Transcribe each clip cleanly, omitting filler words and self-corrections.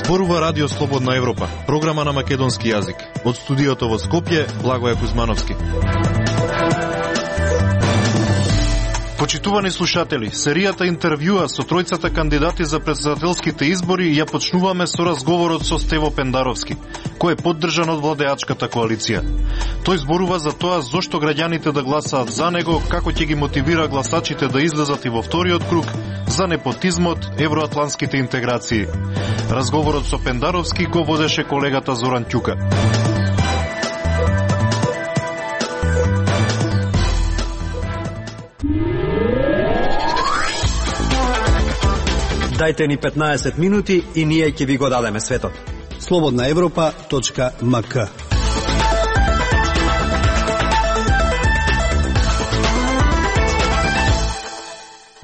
Зборува Радио Слободна Европа, програма на македонски јазик. Од студиото во Скопје, Благоје Кузмановски. Почитувани слушатели, серијата интервјуа со тројцата кандидати за претседателските избори ја почнуваме со разговорот со Стево Пендаровски, кој е поддржан од владеачката коалиција. Тој зборува за тоа зошто граѓаните да гласаат за него, како ќе ги мотивира гласачите да излезат и во вториот круг, за непотизмот, евроатлантските интеграции. Разговорот со Пендаровски го водеше колегата Зоран Ќука. Дајте ни 15 минути и ние ќе ви го дадеме светот. slobodnaevropa.mk.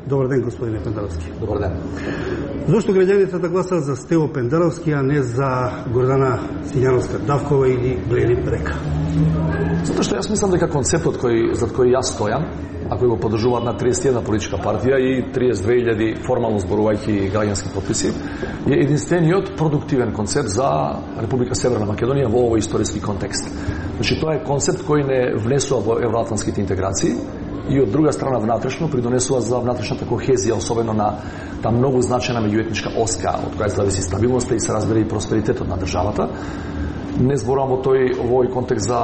Добар ден, господине Пендаровски. Добар ден. Зошто граѓаните да гласаат за Стево Пендаровски, а не за Гордана Сињановска-Давкова или Блери Брека? Затоа што јас мислам дека концептот зад кој јас стојам, а кој го поддржуваат на 31 политичка партија и 32.000 формално зборувајќи граѓански подписи, е единствениот продуктивен концепт за Република Северна Македонија во овој историски контекст. Значи, тоа е концепт кој не внесува во евроатлантските интеграции и од друга страна внатрешно придонесува за внатрешната кохезија, особено на таа многу значајна меѓуетничка оска од која зависи стабилноста и се разбере и просперитетот на државата. Не зборувам во овој контекст за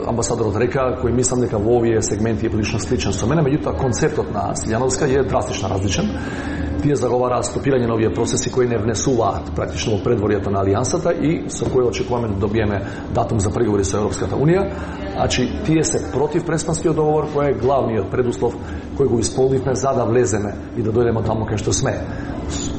амбасадорот Река, кој мислам дека во овие сегменти е прилично сличен со мене, меѓутоа концептот на Сињановска е драстично различен. Тие заговараат стопирање на овие процеси кои не внесуваат практично во предворието на алијансата и со кои очекуваме да добиеме датум за преговори со Европската унија. Значи, тие се против Преспанскиот договор, кој е главниот предуслов кој го исполнивме за да влеземе и да дојдеме таму кај што сме.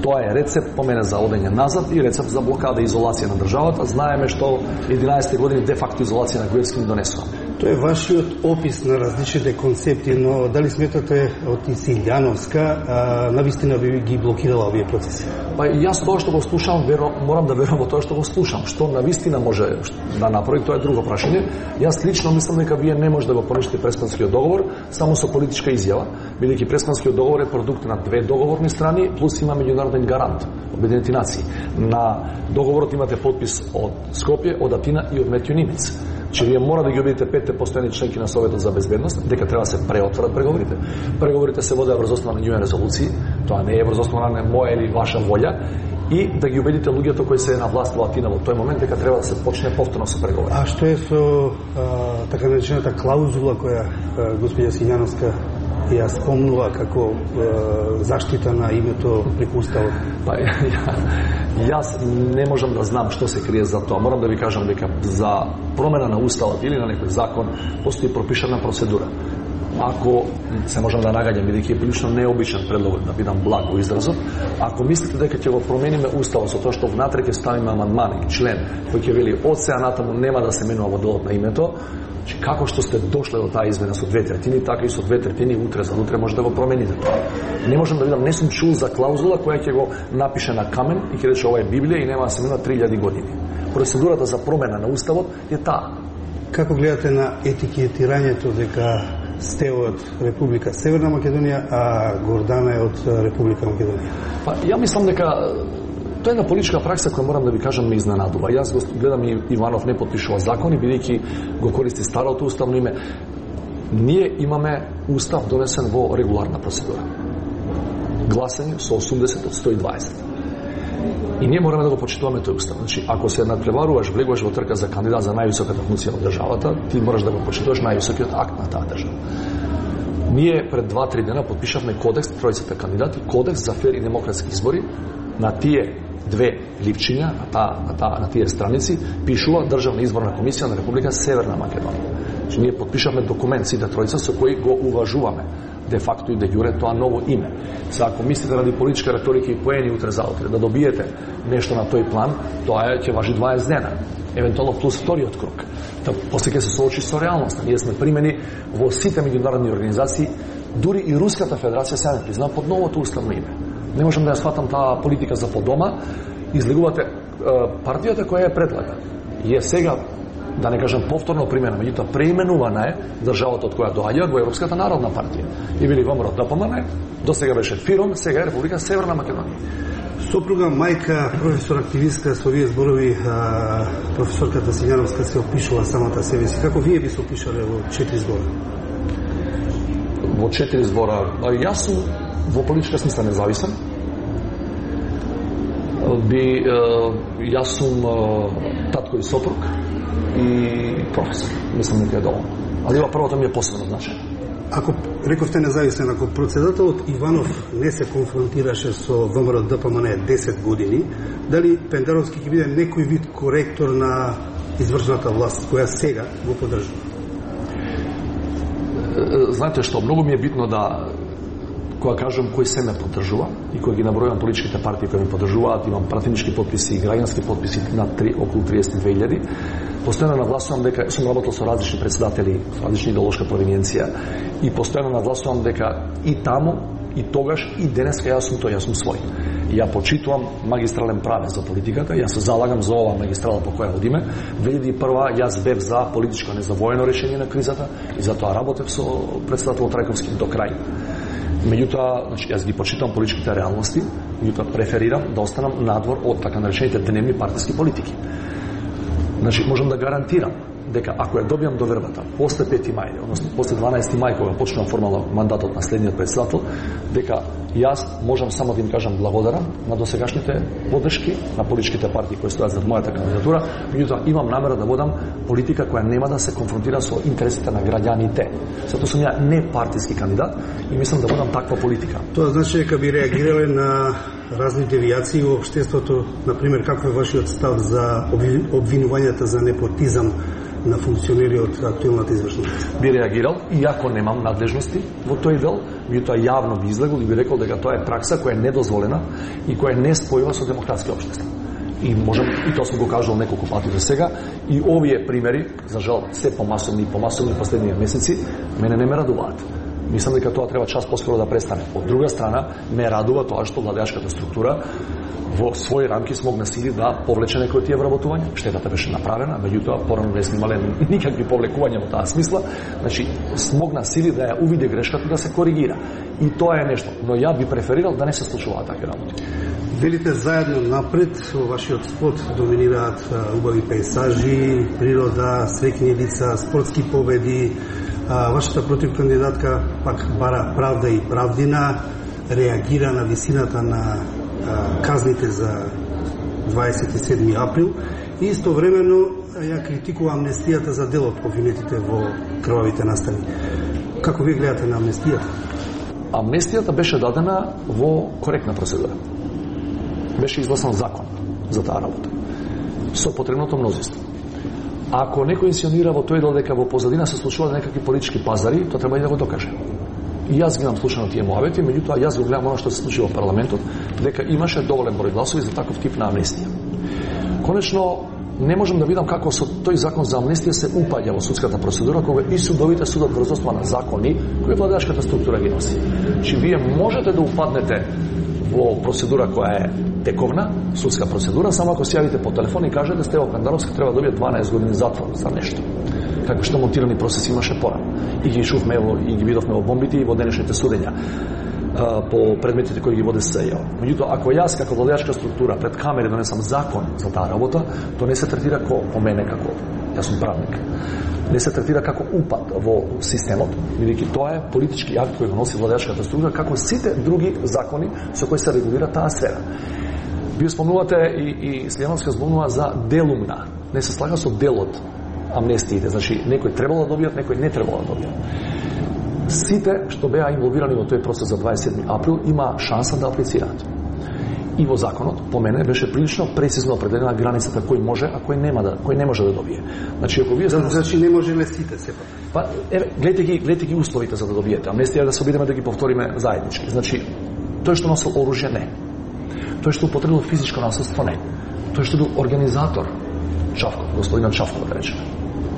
Тоа е рецепт по мене за одење назад и рецепт за блокада и изолација на државата. Знаеме што 11 години де факто изолација на Груевски донесува. Тоа е вашиот опис на различните концепти, но дали сметате од Сињановска навистина би ги блокирала овие процеси? Па јас тоа што го слушам, морам да верувам во тоа што го слушам. Што навистина може да направи, тоа е друго прашање. Јас лично мислам дека вие не може да го понишите Преспанскиот договор само со политичка изјава, бидејќи Преспанскиот договор е продукт на две договорни страни плюс има меѓународен гарант, Обединети нации. На договорот имате подпис од Скопје, од Атина и од Метју Нимец. Че вие мора да ги убедите 5 постојани членки на Советот за безбедност дека треба да се преотворат преговорите. Преговорите се водеа врз основа на њуен резолуции, тоа не е врз основа на моја или ваша волја, и да ги убедите луѓето кои се на власт во Атина во тој момент дека треба да се почне повторно со преговори. А што е со така наречената клаузула која господја Сињановска ја спомнува како заштита на името преку уставот? Па јас не можам да знам што се крие за тоа. Морам да ви кажам дека за промена на уставот или на некој закон постои пропишана процедура. Ако се можам да нагаѓам, бидејќи е прилично необичен предлог, да бидам благ во изразот, ако мислите дека ќе го промениме уставот со тоа што внатре ќе ставиме амандман и член кој ќе вели од сега натаму нема да се менува во делот на името, како што сте дошле до таа измена со 2/3, така и со 2/3 утре за утре може да го промените тоа. Не можам да видам, не сум чул за клаузула која ќе го напише на камен и ќе рече ова е Библија и нема да се менува 3000 години. Процедурата за промена на уставот е таа. Како гледате на етикетирањето дека сте од Република Северна Македонија, а Гордана е од Република Македонија? Па ја мислам дека тоа е една политичка пракса која морам да ви кажам ме изненадува. Јас го гледам и Иванов не потпишува закони, бидејќи го користи старото уставно име. Ние имаме устав донесен во регуларна процедура. Гласање со 80 од 120. И ние мораме да го почитуваме тој устав. Значи, ако се надпреваруваш, влегуваш во трка за кандидат за највисоката функција во државата, ти мораш да го почитуваш највисокиот акт на таа држава. Ние пред 2-3 дена подпишавме кодекс, тројцата кандидати, кодекс за фер и демократски избори. На тие две ливчиња, на тие страници, пишува Државна изборна комисија на Република Северна Македонија. Значи, ние подпишавме документ, сите тројца, со кој го уважуваме де факто и де јуре тоа ново име. Сега, ако мислите ради политичка реторика и поени утре за утре, да добиете нешто на тој план, тоа ќе важи 20 дена. Евентуално плюс вториот круг. После ќе се соочи со реалноста. Ние сме примени во сите меѓународни организации, дури и Руската федерација се не призна под новото уставно име. Не можам да ја сватам таа политика за подома. Излегувате партијата која ја предлага. И е сега, да не кажам повторно примена, меѓутоа преименувана е државата од која доаѓа во Европската народна партија. И били ВМРО ДПМН, до сега беше ФИРОМ, сега е Република Северна Македонија. Сопруга, мајка, професор активистка, со вие зборови професорката Сињановска се опишува самата себе си. Како вие би се опишале во 4 збора? Во 4 збора. Јас сум во политичка смисла независен. Јас сум татко и сопруг и професор. Мислам дека е доволно. Ali ova prvo to mi je posebno značajno. Ако рековте независен, ако председателот Иванов не се конфронтираше со ВМРО ДПМН 10 години, дали Пендаровски ќе биде некој вид коректор на извршната власт, која сега го поддржува? Знаете што, многу ми е битно да кога кажам кој се ме поддржува и кога ги набројам политичките партии кои ме поддржуваат, имам пратенички потписи и граѓански потписи на околу 32.000. Постојано нагласувам дека сум работел со различни председатели, со различни идеолошка провиненција и постојано нагласувам дека и таму, и тогаш, и денеска јас сум свој. Ја почитувам магистрален правец за политиката, јас се залагам за ова магистрала по која одиме. 2001 јас бев за политичко, не за воено решение на кризата и затоа работев со председател Трајковски до крај. Меѓутоа, значи, јас ги почитам политичките реалности, меѓутоа преферирам да останам надвор од така наречените дневни партиски политики. Значи, можам да гарантирам дека ако ја добијам довербата после 5 мај, односно после 12 мај кога почнувам формално мандатот на следниот председател, дека јас можам само да им кажам благодарам на досегашните подршки на политичките партии кои стојат зад мојата кандидатура, меѓутоа имам намера да водам политика која нема да се конфронтира со интересите на граѓаните. Затоа сум ја не партиски кандидат и мислам да водам таква политика. Тоа значи дека би реагирале на разни девијации во општеството, например, каков е вашиот став за обвинувањата за непотизам на функционери од актуелната извршна власт? Би реагирал, иако немам надлежности во тој дел, меѓутоа јавно би излегол и би рекол дека тоа е пракса која е недозволена и која не спојува со демократски општества. И можам, и тоа сум го кажал неколку пати до сега, и овие примери, за жал, се помасовни и помасовни последниве месеци, мене не ме радуваат. Мислам дека тоа треба час поскоро да престане. Од друга страна, ме радува тоа што владеачката структура во своји рамки смогна сили да повлече некои од тие вработувања. Штетата беше направена, меѓутоа порано не снимале никакви повлекувања во таа смисла. Значи, смогна сили да ја увиде грешката и да се коригира. И тоа е нешто. Но ја би преферирал да не се случуваат такви работи. Велите заедно напред, во вашиот спот доминираат убави пейзажи, природа, среќни лица, спортски победи. Вашата противкандидатка пак бара правда и правдина, реагира на висината на казните за 27 април и истовремено ја критикува амнестијата за дел од обвинетите во крвавите настани. Како ви гледате на амнестијата? Амнестијата беше дадена во коректна процедура. Беше изгласан закон за таа работа со потребното мнозинство. Ако некој инсионира во тој дел дека во позадина се случуваат некакви политички пазари, тоа треба и да го докаже. И јас ги имам слушано тие муавети, меѓутоа јас го гледам оно што се случи во парламентот, дека имаше доволен број гласови за таков тип на амнестија. Конечно, не можам да видам како со тој закон за амнестија се упаѓа во судската процедура, кога и судовите судат врз основа на закони кои владеачката структура ги носи. Чи вие можете да упаднете во процедура која е тековна, судска процедура, само ако се јавите по телефон и кажете Стево Пендаровски треба да добие 12 години затвор за нешто. Како што монтирани процеси имаше порано. И ги шувме и ги видовме во бомбите и во денешните судења по предметите кои ги воде СЈО. Меѓутоа, ако јас како владеачка структура пред камери донесам закон за таа работа, тоа не се третира по мене како јас сум правник. Не се третира како упад во системот, бидејќи тоа е политички акт кој го носи владеачката структура, како сите други закони со кои се регулира таа сфера. Вие спомнувате и Сињановска зборува за делумна. Не се слага со делот амнестиите. Значи, некој требало да добијат, некој не требало да добијат. Сите што беа инволвирани во тој процес за 27 април има шанса да аплицираат. И во законот, по мене, беше прилично прецизно определена границата кој може, а кој не може да добие. Значи, ако вие значи не може ли сите сепак? Па, гледате ги условите за да добиете. Амнестија да се обидеме да ги повториме заеднички. Значи, тој што носил оружје не. Тој што употребил физичко насилство не. Тој што бил организатор Чавков, господинот Чавков да речеме,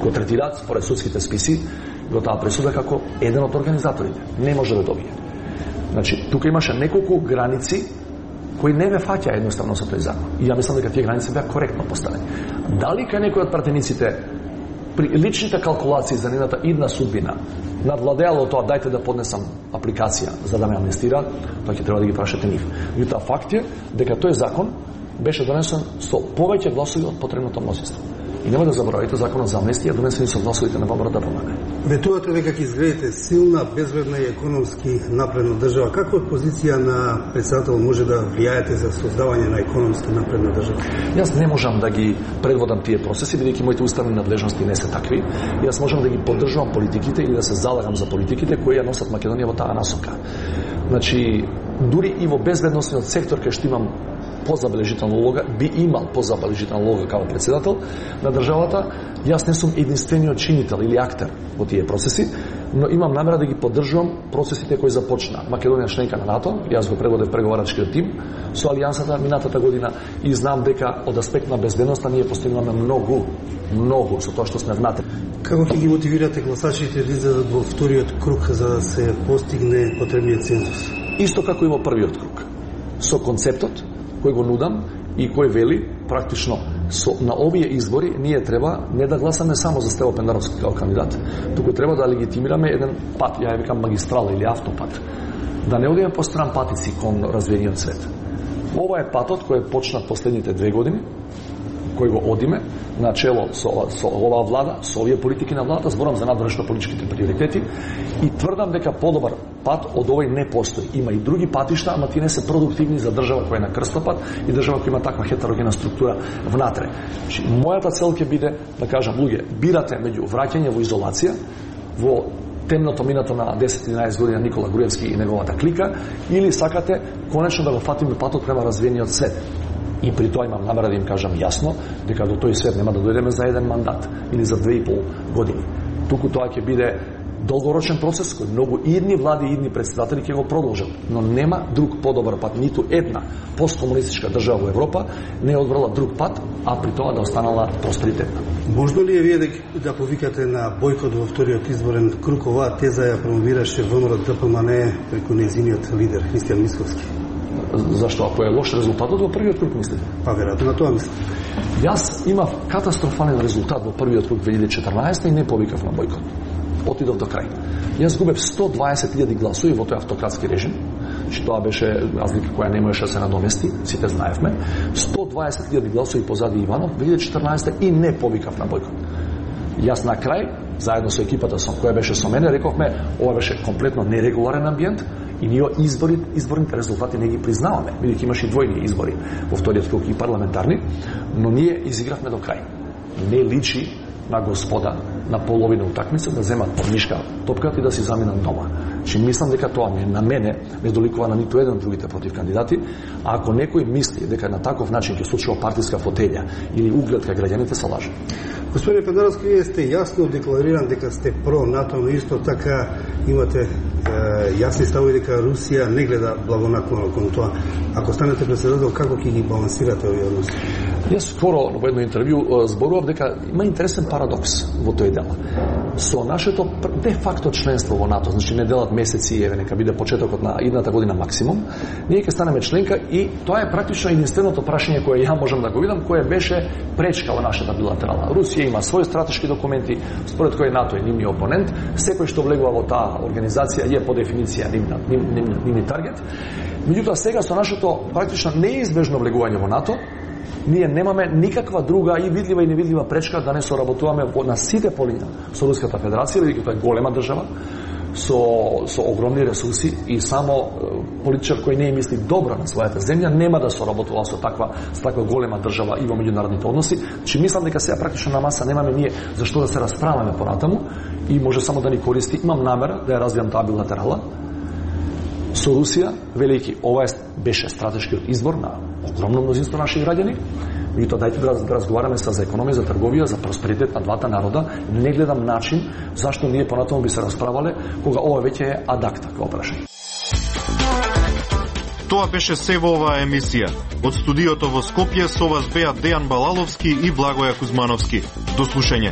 го третираат според судските списи во таа пресуда како еден од организаторите. Не може да добие. Значи, тука имаше неколку граници кои не ме фаќа едноставно со тој закон. И ја мислам дека тие граници беа коректно поставени. Дали кај некој од пратениците при личните калкулации за нейната идна судбина надвладеало тоа дајте да поднесам апликација за да ме амнестира, тоа ќе треба да ги прашате нив. Меѓутоа факт е дека тој закон беше донесен со повеќе гласови од потребното мнозинство. И нема да заборавите законот за амнестија донесен со гласовите на ВМРО ДПМН. Ветувате дека ќе изградите силна, безбедна и економски напредна држава. Како од позиција на председател може да влијаете за создавање на економски напредна држава? Јас не можам да ги предводам тие процеси, бидејќи моите уставни надлежности не се такви. Јас можам да ги поддржувам политиките или да се залагам за политиките кои ја носат Македонија во таа насока. Значи, дури и во безбедносниот сектор кај што имам позабележителна улога, би имал позабележителна улога како председател на државата, јас не сум единствениот чинител или актер во тие процеси, но имам намера да ги поддржувам процесите кои започна. Македонија членка на НАТО, јас го предводев преговарачкиот тим со Алијансата минатата година и знам дека од аспект на безбедноста ние постигнуваме многу со тоа што сме внатре. Како ќе ги мотивирате гласачите да излезат во вториот круг за да се постигне потребниот цензус? Исто како и во првиот круг. Со концептот кој го нудам и кој вели практично на овие избори ние треба не да гласаме само за Стево Пендаровски како кандидат, туку треба да легитимираме еден пат, ја викам магистрала или автопат, да не одиме по стран патици кон развиениот свет. Ова е патот кој е почнат последните 2 години, кој го одиме на чело со оваа влада, со овие политики на владата, зборам за надворешно политичките приоритети и тврдам дека подобар пат од овој не постои. Има и други патишта, ама тие не се продуктивни за држава која е на крстопат и држава која има таква хетерогена структура внатре. Значи, мојата цел ќе биде да кажам, луѓе, бирате меѓу враќање во изолација, во темното минато на 10-11 години на Никола Груевски и неговата клика, или сакате конечно да го фатиме патот према развиениот свет. И при тоа имам намера да им кажам јасно дека до тој свет нема да дојдеме за еден мандат или за 2,5 години. Туку тоа ќе биде долгорочен процес кој многу идни влади и идни председатели ќе го продолжат, но нема друг подобар пат. Ниту една посткомунистичка држава во Европа не е одбрала друг пат, а при тоа да останала просперитетна. Можно ли е вие да повикате на бојкот во вториот изборен круг? Оваа теза ја промовираше ВМРО ДПМН преку нејзиниот лидер Христијан Мицковски. Зашто? Ако е лош резултатот во првиот круг, мислите? Па веројатно на тоа мислам. Јас имав катастрофален резултат во првиот круг 2014 и не повикав на бојкот. Отидов до крај. Јас губев 120.000 гласови во тој автократски режим, че тоа беше разлика која не можеше да се надомести, сите знаевме. 120.000 гласови позади Иванов 2014 и не повикав на бојкот. Јас на крај, заедно со екипата која беше со мене, рековме, ова беше комплетно нерегуларен амбиент и ние изборните резултати не ги признаваме, бидејќи имаше и двојни избори во вториот круг и парламентарни, но ние изигравме до крај. Не личи на господа на половина утакмица да земат под мишка топката и да си заминат дома. Че мислам дека тоа на мене не доликува на ниту еден од другите против кандидати, а ако некој мисли дека на таков начин ќе случува партиска фотелја или углед кај граѓаните, се лаже. Господине Пендаровски, вие сте јасно деклариран дека сте про НАТО, но исто така имате јасни ставови дека Русија не гледа благонаклоно кон тоа. Ако станете председател, како ќе ги балансирате овие односи? Јас скоро во едно интервју зборував дека има интересен парадокс во тој дел. Со нашето де факто членство во НАТО, значи не делат месеци, еве нека биде почетокот на идната година максимум, ние ќе станеме членка и тоа е практично единственото прашање кое ја можам да го видам, кое беше пречка во нашата билатерална. Русија има своји стратешки документи, според кои НАТО е нивниот опонент, секој што влегува во таа организација е по дефиниција нивни таргет. Меѓутоа сега со нашето практично неизбежно влегување во НАТО, ние немаме никаква друга и видлива и невидлива пречка да не соработуваме на сите полиња со Руската Федерација, бидејќи тоа е голема држава со огромни ресурси и само политичар кој не мисли добро на својата земја нема да соработува со таква голема држава и во меѓународните односи. Че мислам дека сега практично на маса немаме ние зашто да се расправаме понатаму и може само да ни користи. Имам намера да ја развијам таа билатерала со Русија, велики ова беше стратешкиот избор на огромно мнозинство наши граѓани. И тоа дајте да разговараме за економија, за трговија, за просперитет на двата народа. Не гледам начин зашто ние понатаму би се расправале кога ова веќе е адакта како прашање. Тоа беше се во оваа емисија. Од студиото во Скопје со вас беа Дејан Балаловски и Благоја Кузмановски. До слушање.